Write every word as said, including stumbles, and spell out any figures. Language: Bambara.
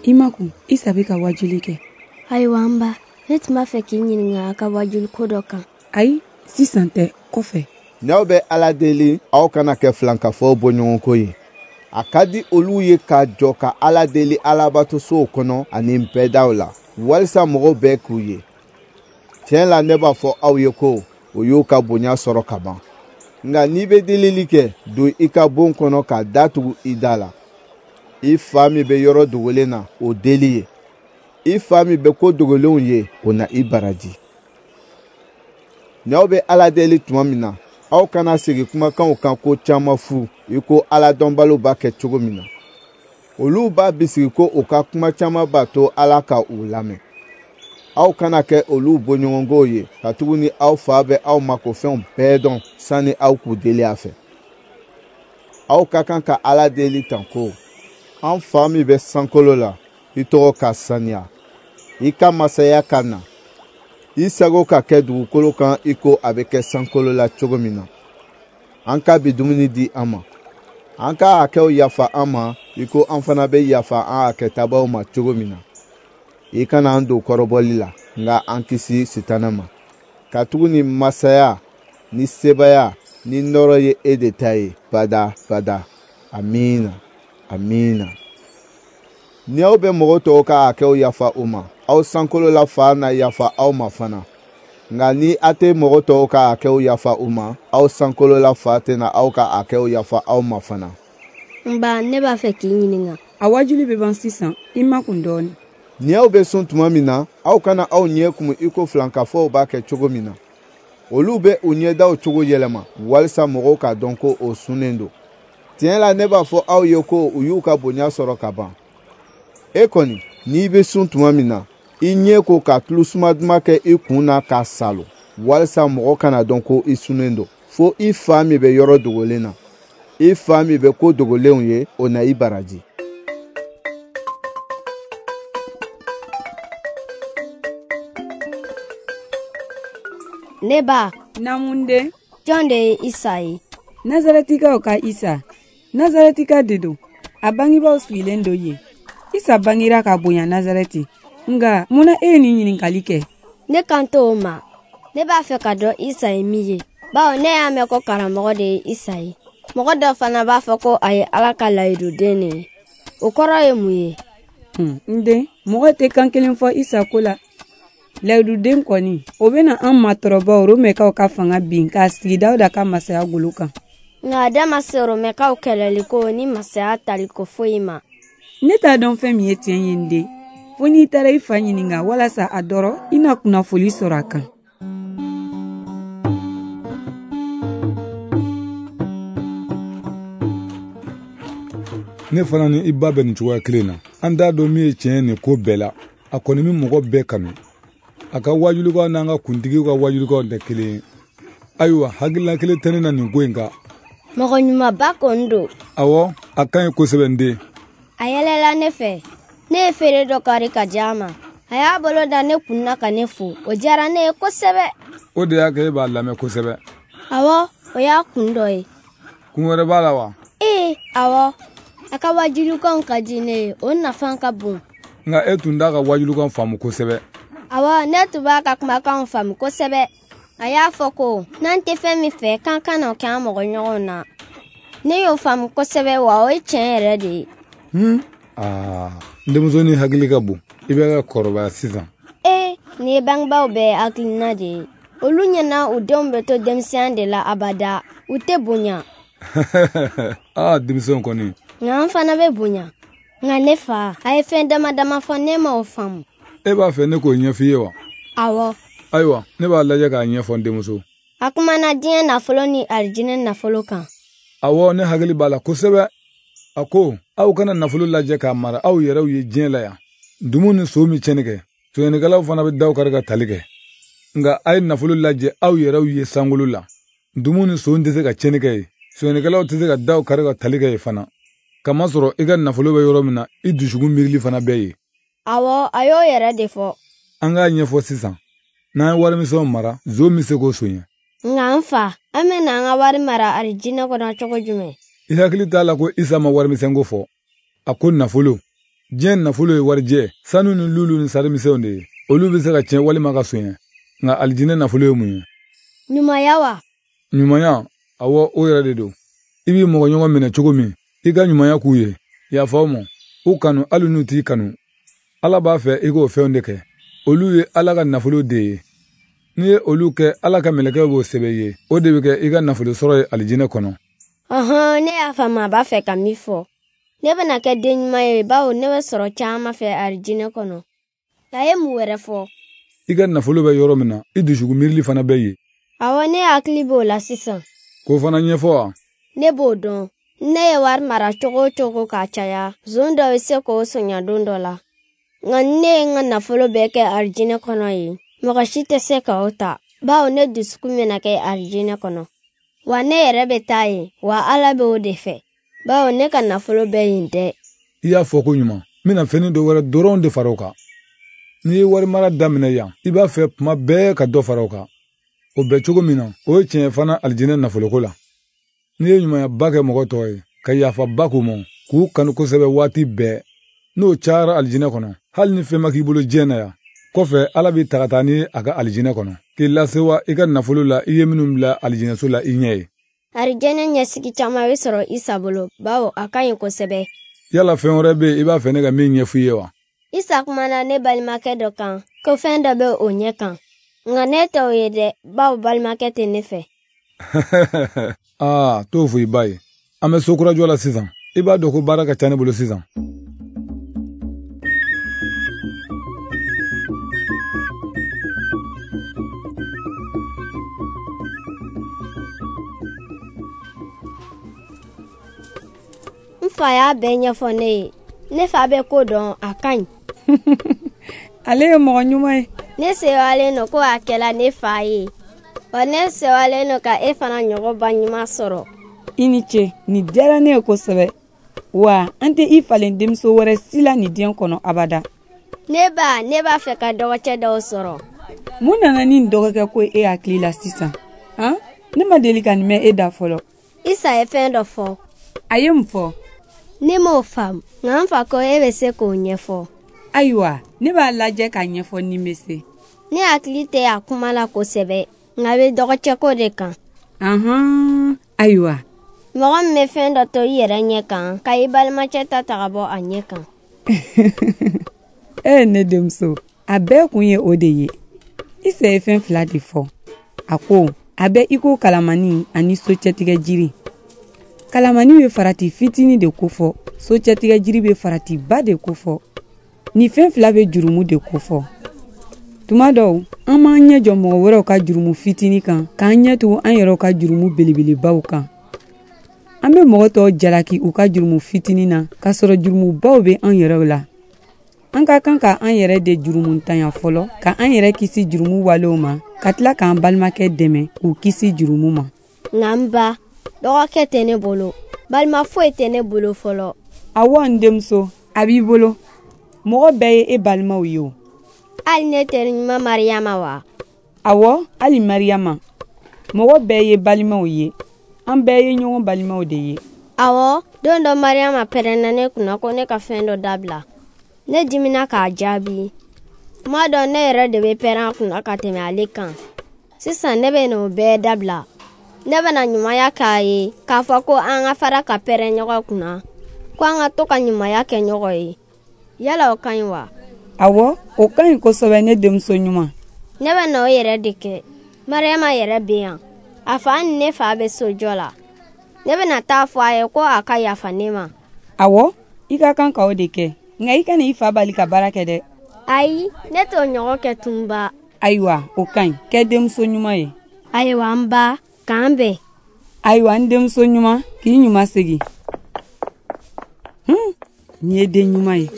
I makun, Isa bɛ ka wajuli kɛ. Ayiwa n ba, ne tun b'a fɛ k'i ɲininka a ka wajuli ko dɔ kan. Ayi, sisan tɛ, kɔfɛ. N'aw bɛ Ala deli, aw kana kɛ filankafow bɔɲɔgɔnko ye. A ka di olu ye ka jɔ ka Ala deli alabatosow kɔnɔ ani nbɛdaw la, walisa mɔgɔw bɛɛ k'u ye. Tiɲɛ la, ne b'a fɔ aw ye ko o y'u ka bonya sɔrɔ ka ban. Nka n'i bɛ delili kɛ, don i ka bon kɔnɔ ka da tugu i da la. I fa min bɛ yɔrɔ dogolen na, o deli ye. I fa min bɛ ko dogolenw ye, o na i baraji. N'aw bɛ Ala deli tuma min na, aw kana segin kumakanw kan ko caman fu, i ko Ala dɔnbaliw b'a kɛ cogo min na. Olu b'a bisigi ko u ka kuma caman b'a to Ala ka u lamɛn. Aw kana kɛ olu bɔɲɔgɔnkow ye, katuguni aw fa bɛ aw makofɛnw bɛɛ dɔn sani aw k'u deli a fɛ. Aw ka kan ka Ala deli tan ko: An fa min bɛ sankolo la, i tɔgɔ ka saniya, i ka masaya ka na, i sago ka kɛ dugukolo kan i ko a bɛ kɛ sankolo la cogo min na. An ka bi dumuni di an ma. An ka hakɛw yafa an ma i ko an fana bɛ yafa an hakɛtabaw ma cogo min na. I kana an don kɔrɔbɔli la, nka an kisi Sitana ma. Katuguni masaya ni sebaya ni nɔɔrɔ ye e de ta ye bada bada. Amiina, amiina. Ni aw bɛ mɔgɔ tɔw ka hakɛw yafa u ma, aw sankolola fa na yafa aw ma fana. Nka ni a tɛ mɔgɔ tɔw ka hakɛw yafa u ma, aw sankolola fa tɛna aw ka hakɛw yafa aw ma fana. N ba, ne b'a fɛ k'i ɲininka. A wajuli bɛ ban sisan, i makun dɔɔnin. Ni aw bɛ sun tuma min na, aw kana aw ɲɛ kumu i ko filankafow b'a kɛ cogo min na. Olu bɛ u ɲɛdaw cogo yɛlɛma walisa mɔgɔw k'a dɔn ko o sunnen don. Tiɲɛ la, ne b'a fɔ aw ye ko u y'u ka bonya sɔrɔ ka ban. E kɔni, n'i bɛ sun tuma min na, i ɲɛ ko ka tulu suma duman kɛ i kun na k'a salo, walisa mɔgɔ kana dɔn ko i sunnen don, fo i fa min bɛ yɔrɔ dogolen na. I fa min bɛ ko dogolenw ye, o na i baraji. Ne ba. Naamu den. Jɔn de ye Isa ye? Nazarɛtikaw ka Isa. Nazarɛtika de don. A bangebaaw sigilen don yen. Isa bangira ka bonya Nazarɛti. Nka mun na e ye nin ɲininkali kɛ? Ne kan t'o ma. Ne b'a fɛ ka dɔn Isa ye min ye, bawo ne y'a mɛn ko karamɔgɔ de ye Isa ye. Mɔgɔ dɔ fana b'a fɔ ko a ye Ala ka layiduden de ye. O kɔrɔ ye mun ye? Hmm, n den, mɔgɔ tɛ kan kelen fɔ Isa ko la. Layiduden kɔni, o bɛna an matɔrɔbaw Romɛkaw ka fanga bin k'a sigi Dawuda ka masaya golo kan. Nka a da ma se Romɛkaw kɛlɛliko ni masaya taliko foyi ma. Ne t'a dɔn fɛn min ye tiɲɛ ye n den. Fo n'i taara i fa ɲininka walasa a dɔrɔ i na kunnafoli sɔrɔ a kan. Ne fana ni i ba bɛ nin cogoya kelen na. An t'a dɔn min ye tiɲɛ ye nin ko bɛɛ la. A kɔni bɛ mɔgɔ bɛɛ kanu. A ka wajulikanw n'an ka kuntigiw ka wajulikanw tɛ kelen ye. Ayiwa, hakilina kelen tɛ ne na nin ko in kan. Mɔgɔ ɲumanba kɔni don. Awɔ, a ka ɲi kosɛbɛ n den. A yɛlɛla ne fɛ. Ne ye feere dɔ kari ka di a ma. A y'a bolo da ne kun na ka ne fo. O diyara ne ye kosɛbɛ. O de y'a kɛ e b'a lamɛn kosɛbɛ. Awɔ, o y'a kun dɔ ye. Kun wɛrɛ b'a la wa? Ee, awɔ. A ka wajulikanw ka di ne ye, o nafa ka bon. Nka e tun t'a ka wajulikan faamu kosɛbɛ. Awɔ, ne tun b'a ka kumakanw faamu kosɛbɛ. A y'a fɔ ko n'an tɛ fɛn min fɛ, k'an kana o kɛ an mɔgɔɲɔgɔnw na. Ne y'o faamu kosɛbɛ, wa o ye tiɲɛ yɛrɛ de ye. Hmm? Aa, n denmusonin hakili ka bon. I bɛ ka kɔrɔbaya sisan. Ee, nin ye bangebaaw bɛɛ hakilina de ye. Olu ɲɛna u denw bɛ to denmisɛnya de la abada. U tɛ bonya. Aa, denmisɛnw kɔni. Nka an fana bɛ bonya. Nka ne fa, a ye fɛn dama dama fɔ, ne ma o faamu. E b'a fɛ ne k'o ɲɛf'i ye wa? Awɔ. Ayiwa, ne b'a lajɛ k'a ɲɛfɔ n denmuso. A kumana diɲɛ nafolo ni alijinɛ nafolo kan. Awɔ, ne hakili b'a la kosɛbɛ. A ko, aw kana nafolo lajɛ k'a mara aw yɛrɛw ye diɲɛ la yan. Dumu ni so min tiɲɛni kɛ, sonyɛnikɛlaw fana bɛ daw kari ka tali kɛ. Nka a ye nafolo lajɛ aw yɛrɛw ye sankolo la. Dumu ni so tɛ se ka tiɲɛni kɛ yen. Sonyɛnikɛlaw tɛ se ka daw kari ka tali kɛ yen fana. Kamasɔrɔ i ka nafolo bɛ yɔrɔ min na, i dusukun miirili fana bɛ yen. Awɔ, a y'o yɛrɛ de fɔ. An k'a ɲɛfɔ sisan. N'an ye warimisɛnw mara, zon bɛ se k'o soɲɛ. Nka n fa, an bɛna an ka wari mara alijinɛ kɔnɔ cogo jumɛn? I hakili t'a la ko Isa ma warimisɛnko fɔ. A ko nafolo, Diɲɛ nafolo ye warijɛ, sanu ni lulu ni sarimisɛnw de ye. Olu bɛ se ka tiɲɛ walima ka sonya. Nka alijinɛ nafolo ye mun ye? Ɲumanya wa? Ɲumanya, awɔ, o yɛrɛ de don. I b'i mɔgɔɲɔgɔn minɛ cogo min, i ka ɲumanya k'u ye. Yafa u ma, u kanu hali n'u t'i kanu. Ala b'a fɛ i k'o fɛnw de kɛ. Olu ye Ala ka nafolo de ye. N'i ye olu kɛ, Ala ka mɛlɛkɛw b'o sɛbɛn i ye. O de bɛ kɛ i ka nafolo sɔrɔ ye alijinɛ kɔnɔ. Ɔhɔn, ne y'a faamu a b'a fɛ ka min fɔ. Ne bɛna kɛ den ɲuman ye bawo ne bɛ sɔrɔ caman fɛ alijinɛ kɔnɔ. A ye mun wɛrɛ fɔ? I ka nafolo bɛ yɔrɔ min na, i dusukun miirili fana bɛ yen. Awɔ, ne hakili b'o la sisan. K'o fana ɲɛfɔ wa? Ne b'o dɔn. Ne ye wari mara cogo o cogo k'a caya, zon dɔ bɛ se k'o sonya don dɔ la. Nka ni ne ye n ka nafolo bɛɛ kɛ alijinɛ kɔnɔ yen, mɔgɔ si tɛ se ka o ta, bawo ne dusukun bɛna kɛ alijinɛ kɔnɔ. Wa ne yɛrɛ bɛ taa yen, wa Ala bɛ o de fɛ, bawo ne ka nafolo bɛ yen dɛ. I y'a fɔ ko ɲuman, n bɛna fɛnnin dɔ wɛrɛ dɔrɔn de fara o kan. N'i ye wari mara daminɛ yan, i b'a fɛ tuma bɛɛ ka dɔ fara o kan. O bɛ cogo min na, o ye tiɲɛ fana alijinɛ nafoloko la. N'i ye ɲumanyaba kɛ mɔgɔ tɔw ye, ka yafaba k'u ma, k'u kanu kosɛbɛ waati bɛɛ, n'o cayara alijinɛ kɔnɔ, hali ni fɛn ma k'i bolo diɲɛ na yan, kɔfɛ Ala b'i ta ka taa ni a ka alijinɛ kɔnɔ, k'i lasewa i ka nafolo la i ye minnu bila alijinɛso la i ɲɛ ye. Alijinɛ ɲɛsigi caman bɛ sɔrɔ Isa bolo, bawo a ka ɲi kosɛbɛ. Yala fɛn wɛrɛ bɛ yen i b'a fɛ ne ka min ɲɛfɔ i ye wa? Isa kumana ne balimakɛ dɔ kan, ko fɛn dɔ bɛ o ɲɛ kan. Nka ne tɛ o ye dɛ, bawo balimakɛ tɛ ne fɛ. Aa, t'o fɔ i ba ye. An bɛ so kurajɔ la sisan. I b'a dɔn ko baara ka ca ne bolo sisan. N fa y'a bɛɛ ɲɛfɔ ne ye. Ne fa bɛ ko dɔn, a ka ɲi. Ale ye mɔgɔ ɲuman ye. Ne sewalen don ko a kɛla ne fa ye. Wa ne sewalen don ka e fana ɲɔgɔn ba ɲuman sɔrɔ. I ni ce, nin diyara ne ye kosɛbɛ. Wa an tɛ i falen denmuso wɛrɛ si la nin diɲɛ kɔnɔ abada. Ne ba, ne b'a fɛ ka dɔgɔcɛ dɔw sɔrɔ. Mun nana ni nin dɔgɔkɛ ko e hakili la sisan? Han? Ne ma deli ka nin mɛn e da fɔlɔ. Isa ye fɛn dɔ fɔ. A ye mun fɔ? Ne m'o faamu, nka n fa ko e bɛ se k'o ɲɛfɔ. Ayiwa, ne b'a lajɛ k'a ɲɛfɔ ni n bɛ se. Ne hakili tɛ a kuma la kosɛbɛ, nka a bɛ dɔgɔcɛko de kan. Ahan, ayiwa. Mɔgɔ min bɛ fɛn dɔ to i yɛrɛ ɲɛ kan, ka i balimacɛ ta ta ka bɔ a ɲɛ kan. E ne denmuso, a bɛɛ kun ye o de ye. Isa ye fɛn fila de fɔ. A ko, a bɛ i ko kalamani ani socɛtigɛ jiri. Kalamani bɛ farati fitinin de kofɔ, socɛtigɛ jiri bɛ faratiba de kofɔ. Nin fɛn fila bɛ jurumu de kofɔ. Tuma dɔw, an b'an ɲɛ jɔ mɔgɔ wɛrɛw ka jurumu fitinin kan, k'an ɲɛ tugu an yɛrɛw ka jurumu belebelebaw kan. An bɛ mɔgɔ tɔw jalaki u ka jurumu fitinin na, k'a sɔrɔ jurumubaw bɛ an yɛrɛw la. An ka kan ka an yɛrɛ de jurumuntanya fɔlɔ, ka an yɛrɛ kisi jurumu walew ma, ka tila k'an balimakɛ dɛmɛ k'u kisi jurumu ma. Nka n ba, dɔgɔkɛ tɛ ne bolo, balima foyi tɛ ne bolo fɔlɔ. Awɔ, n denmuso, a b'i bolo. Mɔgɔ bɛɛ ye e balimaw ye o. Hali ne teri ɲuman Mariyama wa? Awɔ, hali Mariyama. Mɔgɔ bɛɛ ye balimaw ye. An bɛɛ ye ɲɔgɔn balimaw de ye. Awɔ, don dɔ Mariyama pɛrɛnna ne kunna ko ne ka fɛn dɔ dabila. Ne dimina k'a jaabi. Tuma dɔ ne yɛrɛ de bɛ pɛrɛn a kunna ka tɛmɛ ale kan. Sisan ne bɛ n'o bɛɛ dabila. Ne bɛna ɲumanya k'a ye, k'a fɔ ko an ka fara ka pɛrɛn ɲɔgɔn kunna, ko an ka to ka ɲumanya kɛ ɲɔgɔn ye. Yala o ka ɲi wa? Awɔ, o ka ɲi kosɛbɛ ne denmuso ɲuman. Ne bɛ na o yɛrɛ de kɛ. Mariyama yɛrɛ bɛ yan. A fa ni ne fa bɛ sojɔ la. Ne bɛna taa fɔ a ye ko a ka yafa ne ma. Awɔ, i ka kan ka o de kɛ. Nka i kana i fa bali ka baara kɛ dɛ. Ayi, ne t'o ɲɔgɔn kɛ tunba. Ayiwa, o ka ɲi. Kɛ denmuso ɲuman ye. Ayiwa n ba, k'an bɛn. Ayiwa n denmuso ɲuman, k'i ɲuman segin. Hmm, nin ye den ɲuman ye.